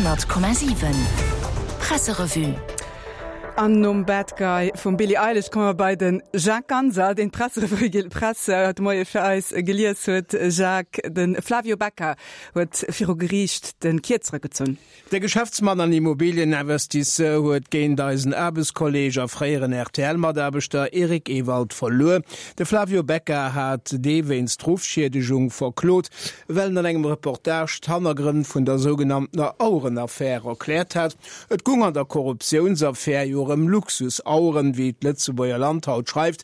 100,7 Presserevue. An nom Bad Guy vum Billie Eilish komme mer bei de Jacques Ganser, deen d'Presserevue, d'Press haut de Moie fir eis gelies huet. Jacques, de Flavio Becca huet viru Geriicht de Kierzere gezunn. De Geschäftsmann an Immobilieninvestisseur huet géint eisen Aarbechtskolleeg a fréieren RTL-Mataarbechter Eric Ewald verluer. De Flavio Becca hat dee wéinst Ruffschiedegung verklot, well en an engem Reportage d'Hannergrënn vun der sougenanntener Auerenaffär erkläert hat. Et gung an der Korruptiounsaffär jo ëm Luxusaueren, wéi d'Lëtzebuerger Land haut schreift.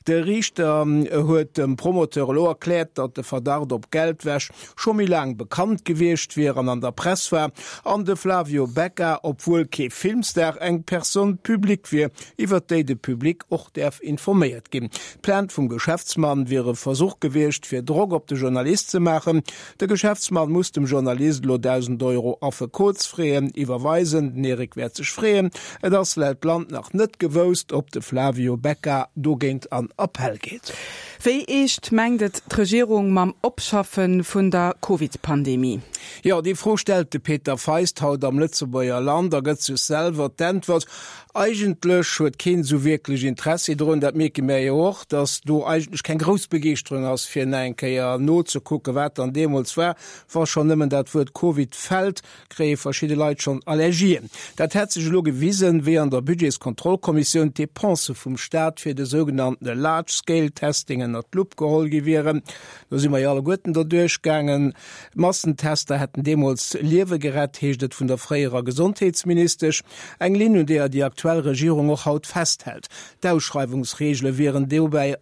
De Riichter huet dem Promoteur elo erkläert, datt de Verdacht op Geldwäsch scho méi laang bekannt gewiescht wier an an der Press war, an de Flavio Becca, obwuel kee Filmstar, eng Personne publique wier, iwwert déi de Public och däerf informéiert ginn. D'Plainte vum Geschäftsmann wier e Versuch gewiescht, fir Drock op de Journalist ze maachen. De Geschäftsmann muss dem Journalist elo 1.000 Euro Affekotsfraisen iwwerweisen. Den Eric wäert sech freeën. Et ass laut Land nach net gewousst, ob de Flavio Becca dogéint an Appell geet. Wéi eescht mengt et d'Regierung mam Opschaffe vun der Covid-Pandemie? Jo, déi Fro stellt de Peter Feist haut am Lëtzebuerger Land a gëtt sech selwer d'Äntwert, Eigentlech huet keen esou wierklech Interessi drun. Dat mierke mär jo och, datt do eigentlech keng grouss Begeeschterung ass, fir nach eng Kéier nozekucken, wat dann deemools war. Wa schonn nëmmen dat Wuert Covid fält, kréie verschidde Leit schonn Allergien. Dat hätt sech elo gewisen, wéi an der Budgetskontrollkommissioun d'Depensë vum Staat fir de sougenanntene Large Scale Testing ënnert d'Lupp geholl gi wieren. Do si mer jo alleguerten derduerch gaangen. Massentester hätten deemools Liewe gerett, heescht et vun der fréierer Gesondheetsministesch. Eng Linn, un deeër déi aktuell Regierung och haut festhält. D'Ausschreiwungsreegele wieren dobäi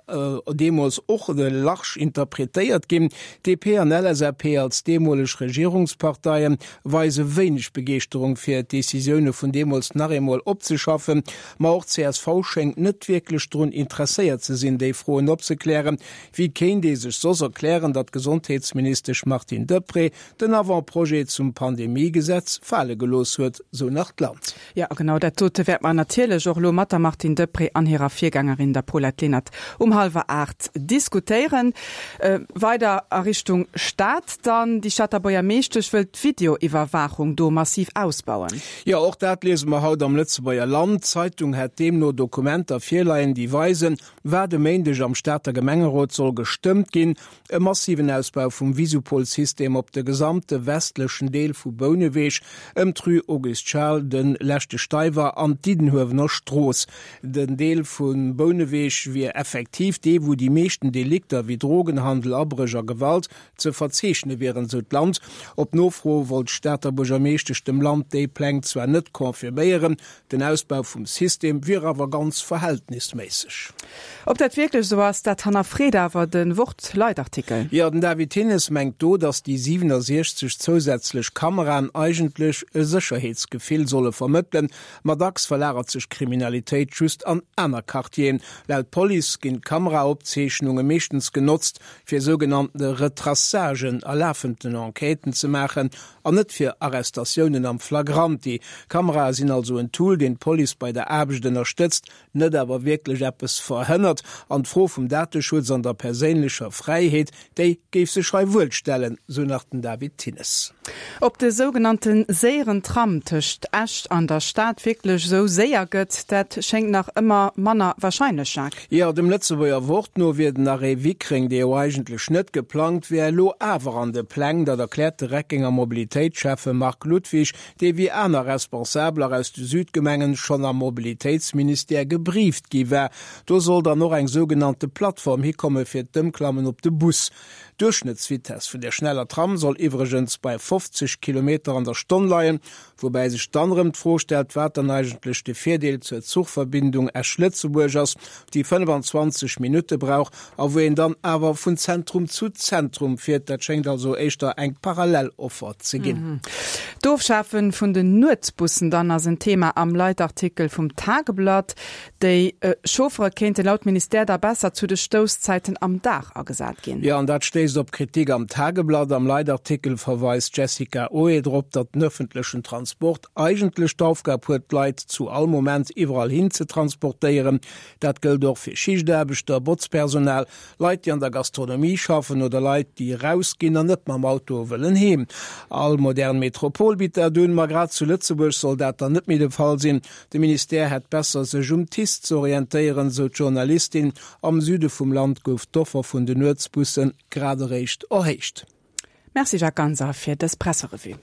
deemools och large interpretéiert ginn. DP an LSAP als deemoleg Regierungsparteie weise wéineg Begeeschterung fir d'Decisioune vun deemools nach eemol opzeschaffen. Ma och csv schéngt net wierklech drun interesséiert ze sinn, déi Froen opzeklären. Wéi kéint ee sech soss erklären, datt d'Gesondheetsministesch Martine Deprez den Avant-projet zum Pandemiegesetz fale gelooss huet, sou nach d'Land. Jo, a genau dat dote wäerte mer natierlech och elo mat der Martine Deprez an hirer Virgängerin, der Paulette Lenert, um hallwer 8 diskutéieren. Weider a Richtung Stad dann, Déi Stater Buergermeeschtesch wëll d'Videoiwwerwaachung do massiv ausbauen. Jo, och dat liese mer haut am Lëtzebuerger Land. D'Zeitung hätt deemno Dokumenter virleien, déi weisen, wat e Méindeg am Stater Gemengerot soll gestëmmt ginn, E massiven Ausbau vum Visupol-System op de gesamte westlechen Deel vu Bouneweg, ëm d'Rue Auguste Charles, de Leschte Steiwer an d'Diddenhuewener Strooss. Den Deel vu Bouneweg wier effektiv dee, wou déi meeschten Delikter wéi Drogenhandel, Abréch a Gewalt ze verzeechne wieren, sou d'Land. Op Nofro wollt d'Stater Buergermeeschtesch dem Land déi Pläng zwar net confirméieren, Den Ausbau vum System wier awer ganz verhältnisméisseg. Ob dat wierklech esou ass, dat hannerfreet awer de Wort-Leitartikel. Jo, den David Thinnes mengt do, datt déi 67 zousätzlech Kameraen eigentlech e Sécherheetsgefill solle vermëttelen, ma dacks verlagert sech d'Kriminalitéit just an aner Quartieren. Laut Police ginn d'Kameraopzeechnunge meeschtens genotzt, fir sougenannte Retraçagen a lafenden Enquêten ze maachen An net fir Arrestatiounen am Flagranti. Kamerae sinn also en Tool, deen d'Police bei der Aarbecht ënnerstëtzt, net awer wierklech eppes verhënnert. An d'Fro vum Dateschutz an der perséinlecher Fräiheet, déi géif sech hei wuel stellen, sou nach den David Thinnes. Ob de sougenannte séieren Tram tëscht Esch an der Stad wierklech esou séier gëtt, dat schéngt nach ëmmer manner warscheinlech, Jacques. Jo, dem Lëtzebuerger Wort no wier den Arrêt Wickreng, dee jo eigentlech net geplangt wär, elo awer an de Pläng. Dat erkläert de Reckenger Mobilitéitsschäffe Marc Ludwig, dee wéi aner Responsabeler aus de Südgemengen schonn am Mobilitéitsministère gebrieft gi war. Do soll dann och eng sougenannte Plattform hikomme fir d'Ëmklammen op de Bus. D'Duerchschnëttsvitess vun der schneller Tram soll iwwregens bei 50 Kilometer an der Stonn leien. Woubäi sech dann erëm d'Fro stellt, wat dann eigentlech de Virdeel zur Zuchverbindung Esch-Lëtzebuerg ass, déi 25 Minutte brauch a wou een dann awer vun Zentrum zu Zentrum fiert. Dat schéngt also éischter eng parallel Offer ze ginn. D'Ofschafe vun den Nuetsbussen dann ass en Thema am Leitartikel vum Tageblatt. Déi Chauffere kéinte laut Ministère da besser zu de Stousszäiten am Dag agesat ginn. Jo, an dat stéisst op Kritik am Tageblatt. Am Leitartikel verweist d'Jessica Oe drop, datt den ëffentlechen Transport eigentlech d'Aufgab huet, d'Leit zu all Moment iwwerall hin ze transportéieren. Dat gëllt och fir Schichtaarbechter, Botzpersonal, Leit, déi an der Gastronomie schaffen oder Leit, déi erausginn an net mam Auto wëllen heem. All modern Metropol. Interpol bitt dat un, ma grad zu Lëtzebuerg soll dat dann net méi de Fall sinn. De Ministère hätt besser sech um TICE ze orientéieren, sou d'Journalistin. Am Süde vum Land gouf d'Offer vun den Nuetsbusse grad eréischt erhéicht. Merci Jacques Ganser fir dës Presserevue.